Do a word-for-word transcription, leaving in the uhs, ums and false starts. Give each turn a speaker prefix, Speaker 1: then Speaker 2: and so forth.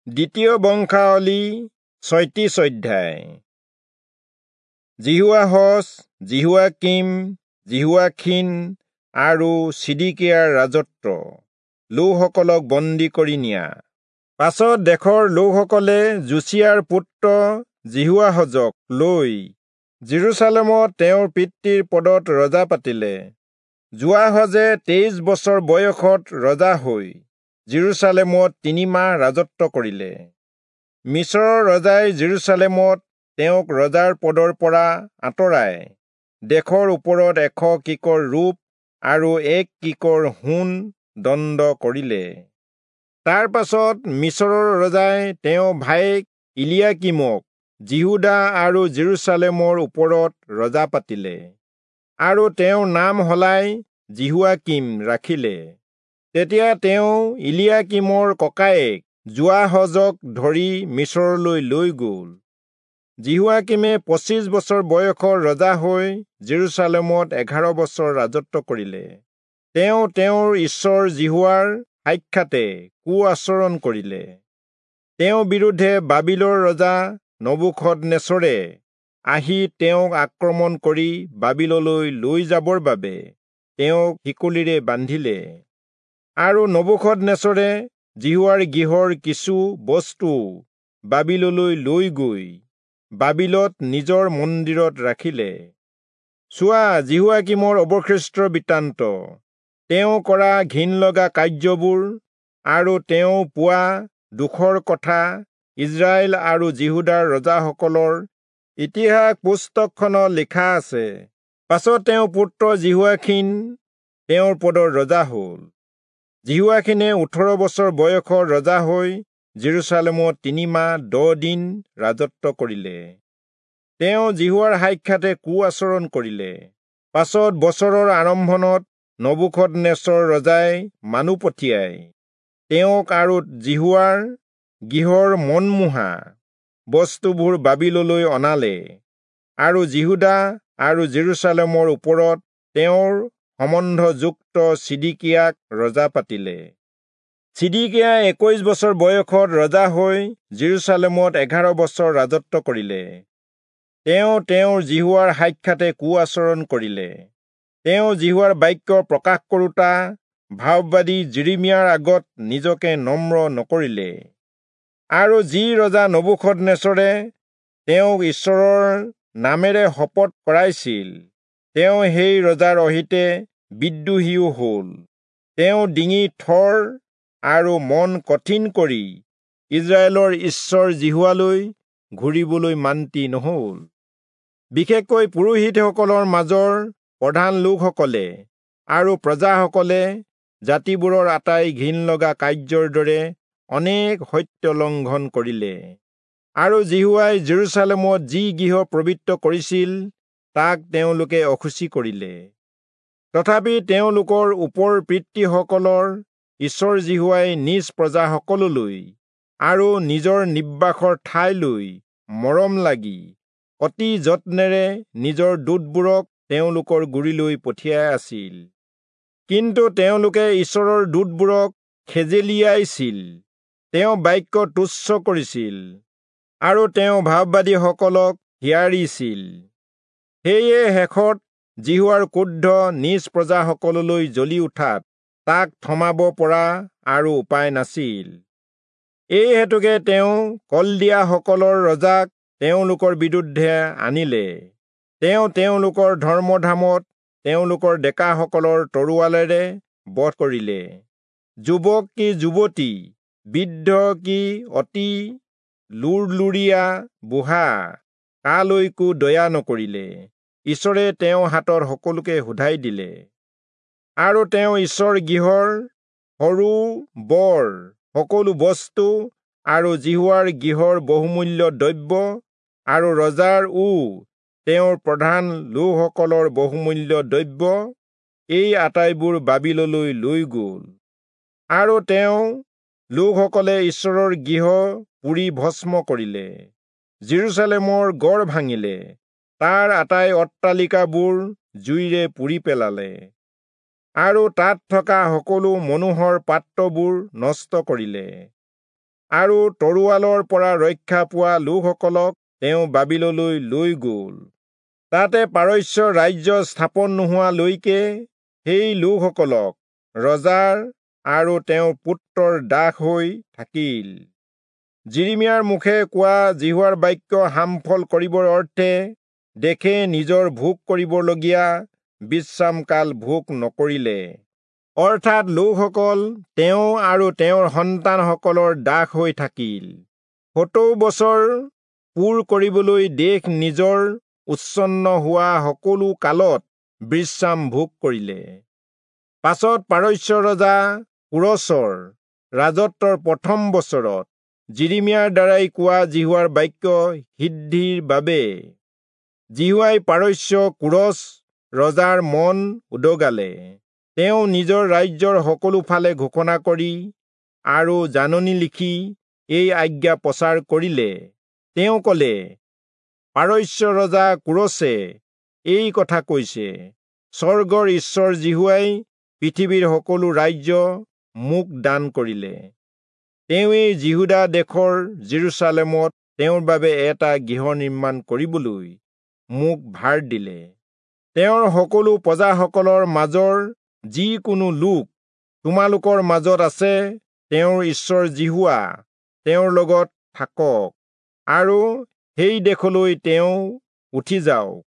Speaker 1: দ্বিতীয় বংশাৱলী ছয়ত্ৰিশ অধ্যায়। যিহোৱাহচ, যিহোৱাকীম, যিহোৱাখীন আৰু চিদিকিয়াৰ ৰাজত্ব, লোকসকলক বন্দী কৰি নিয়া। পাছত দেশৰ লোকসকলে যোচিয়াৰ পুত্ৰ যিহোৱাহজক লৈ যিৰূচালেমত তেওঁৰ পিতৃৰ পদত ৰজা পাতিলে। যোৱাহজে তেইছ বছৰ বয়সত ৰজা হৈ যিৰূচালেমত তিনিমাহ ৰাজত্ব কৰিলে। মিচৰৰ ৰজাই যিৰূচালেমত তেওঁক ৰজাৰ পদৰ পৰা আঁতৰাই দেশৰ ওপৰত এশ কিকৰ ৰূপ আৰু এক কিকৰ সোণ দণ্ড কৰিলে। তাৰ পাছত মিচৰৰ ৰজাই তেওঁৰ ভায়েক ইলিয়াকীমক যিহূদা আৰু যিৰূচালেমৰ ওপৰত ৰজা পাতিলে আৰু তেওঁৰ নাম সলাই যিহোৱাকীম ৰাখিলে। তেতিয়া তেওঁ ইলিয়াকীমৰ ককায়েক যোৱাহজক ধৰি মিচৰলৈ লৈ গ'ল। যিহোৱাকীমে পঁচিছ বছৰ বয়সৰ ৰজা হৈ যিৰূচালেমত এঘাৰ বছৰ ৰাজত্ব কৰিলে। তেওঁ তেওঁৰ ঈশ্বৰ যিহোৱাৰ সাক্ষাতে কু আচৰণ কৰিলে। তেওঁৰ বিৰুদ্ধে বাবিলৰ ৰজা নবূখদনেচৰে আহি তেওঁক আক্ৰমণ কৰি বাবিললৈ লৈ যাবৰ বাবে তেওঁক শিকলিৰে বান্ধিলে। আৰু নবূখদনেচৰে যিহোৱাৰ গৃহৰ কিছু বস্তু বাবিললৈ লৈ গৈ বাবিলত নিজৰ মন্দিৰত ৰাখিলে। চোৱা, যিহোৱাকীমৰ অৱশিষ্ট বৃত্তান্ত, তেওঁ কৰা ঘিণ লগা কাৰ্যবোৰ আৰু তেওঁ পোৱা দুখৰ কথা ইস্ৰায়েল আৰু যিহূদাৰ ৰজাসকলৰ ইতিহাস পুস্তকখনত লিখা আছে। পাছত তেওঁৰ পুত্ৰ যিহোৱাখীন তেওঁৰ পদৰ ৰজা হ'ল। যিহোৱাখীনে ওঠৰ বছৰ বয়সৰ ৰজা হৈ যিৰূচালেমত তিনিমাহ দহ দিন ৰাজত্ব কৰিলে। তেওঁ যিহোৱাৰ সাক্ষাতে কু আচৰণ কৰিলে। পাছত বছৰৰ আৰম্ভণত নবূখদনেচৰ ৰজাই মানুহ পঠিয়াই তেওঁক আৰু যিহোৱাৰ গৃহৰ মনমোহা বস্তুবোৰ বাবিললৈ অনালে আৰু যিহূদা আৰু যিৰূচালেমৰ ওপৰত তেওঁৰ সম্বন্ধযুক্ত চিদিকিয়াক ৰজা পাতিলে। চিদিকিয়া একৈশ বছৰ বয়সত ৰজা হৈ যিৰূচালেমত এঘাৰ বছৰ ৰাজত্ব কৰিলে। তেওঁ তেওঁৰ যিহোৱাৰ সাক্ষাতে কু আচৰণ কৰিলে। তেওঁ যিহোৱাৰ বাক্য প্ৰকাশ কৰোঁতা ভাববাদী যিৰিমিয়াৰ আগত নিজকে নম্ৰ নকৰিলে। আৰু যি ৰজা নবূখদনেচৰে তেওঁক ঈশ্বৰৰ নামেৰে শপত কৰাইছিল, তেওঁ সেই ৰজাৰ অহিতে বিদ্ৰোহীও হ'ল। তেওঁ ডিঙি থৰ আৰু মন কঠিন কৰি ইস্ৰায়েলৰ ঈশ্বৰ যিহোৱালৈ ঘূৰিবলৈ মান্তি নহ'ল। বিশেষকৈ পুৰোহিতসকলৰ মাজৰ প্ৰধান লোকসকলে আৰু প্ৰজাসকলে জাতিবোৰৰ আটাই ঘিণ লগা কাৰ্যৰ দৰে অনেক সত্য লংঘন কৰিলে। আৰু যিহোৱাই যিৰূচালেমত যি গৃহ পবিত্ৰ কৰিছিল তাক তেওঁলোকে অশুচি কৰিলে। তথাপি তেওঁলোকৰ ওপৰ পিতৃসকলৰ ঈশ্বৰ যিহোৱাই নিজ প্ৰজাসকললৈ আৰু নিজৰ নিবাসৰ ঠাইলৈ মৰম লাগি অতি যত্নেৰে নিজৰ দূতবোৰক তেওঁলোকৰ গুৰিলৈ পঠিয়াই আছিল। কিন্তু তেওঁলোকে ঈশ্বৰৰ দূতবোৰক খেজেলিয়াইছিল, তেওঁ বাক্য তুচ্ছ কৰিছিল আৰু তেওঁ ভাববাদীসকলক হিয়াৰিছিল। সেয়ে শেষত যিহোৱাৰ ক্ৰোধ নিজ প্ৰজাসকললৈ জ্বলি উঠাত তাক থমাব পৰা আৰু উপায় নাছিল। এই হেতুকে তেওঁ কলদিয়াসকলৰ ৰজাক তেওঁলোকৰ বিৰুদ্ধে আনিলে। তেওঁ তেওঁলোকৰ ধৰ্মধামত তেওঁলোকৰ ডেকাসকলৰ তৰোৱালেৰে বধ কৰিলে। যুৱক কি যুৱতী, বৃদ্ধ কি অতি লুৰলুৰীয়া বুঢ়া, কালৈকো দয়া নকৰিলে। ঈশ্বৰে তেওঁৰ হাতত সকলোকে শোধাই দিলে। আৰু তেওঁ ঈশ্বৰ গৃহৰ সৰু বৰ সকলো বস্তু আৰু যিহোৱাৰ গৃহৰ বহুমূল্য দ্ৰব্য আৰু ৰজাৰ ও তেওঁৰ প্ৰধান লোকসকলৰ বহুমূল্য দ্ৰব্য এই আটাইবোৰ বাবিললৈ লৈ গ'ল। আৰু তেওঁ লোকসকলে ঈশ্বৰৰ গৃহ পুৰি ভস্ম কৰিলে, যিৰূচালেমৰ গড় ভাঙিলে, তাৰ আটাই অট্টালিকাবোৰ জুইৰে পুৰি পেলালে আৰু তাত থকা সকলো মনোহৰ পাত্ৰবোৰ নষ্ট কৰিলে। আৰু তৰোৱালৰ পৰা ৰক্ষা পোৱা লোকসকলক তেওঁ বাবিললৈ লৈ গ'ল। তাতে পাৰস্য ৰাজ্য স্থাপন নোহোৱালৈকে সেই লোকসকলক ৰজাৰ আৰু তেওঁৰ পুত্ৰৰ দাস হৈ থাকিল। যিৰিমিয়াৰ মুখে কোৱা যিহোৱাৰ বাক্য সামফল কৰিবৰ অৰ্থে দেশে নিজৰ ভোগ কৰিবলগীয়া বিশ্ৰামকাল ভোগ নকৰিলে, অৰ্থাৎ লোকসকল তেওঁ আৰু তেওঁৰ সন্তানসকলৰ দাস হৈ থাকিল। সত্তৰ বছৰ পূৰ কৰিবলৈ দেশ নিজৰ উচ্ছন্ন হোৱা সকলো কালত বিশ্ৰাম ভোগ কৰিলে। পাছত পাৰস্য ৰজা কোৰচৰ ৰাজত্বৰ প্ৰথম বছৰত যিৰিমিয়াৰ দ্বাৰাই কোৱা যিহোৱাৰ বাক্য সিদ্ধিৰ বাবে যিহোৱাই পাৰস্য কোৰচ ৰজাৰ মন উদগালে। তেওঁ নিজৰ ৰাজ্যৰ সকলো ফালে ঘোষণা কৰি আৰু জাননী লিখি এই আজ্ঞা প্ৰচাৰ কৰিলে। তেওঁ কলে, পাৰস্য ৰজা কোৰচে এই কথা কৈছে, স্বৰ্গৰ ঈশ্বৰ যিহোৱাই পৃথিৱীৰ সকলো ৰাজ্য মোক দান কৰিলে। তেওঁৱেই যিহূদা দেশৰ যিৰূচালেমত তেওঁৰ বাবে এটা গৃহ নিৰ্মাণ কৰিবলৈ মোক ভাৰ দিলে। তেওঁৰ সকলো প্ৰজাসকলৰ মাজৰ যিকোনো লোক তোমালোকৰ মাজত আছে, তেওঁৰ ঈশ্বৰ যিহোৱা তেওঁৰ লগত থাকক আৰু সেই দেশলৈ তেওঁ উঠি যাওক।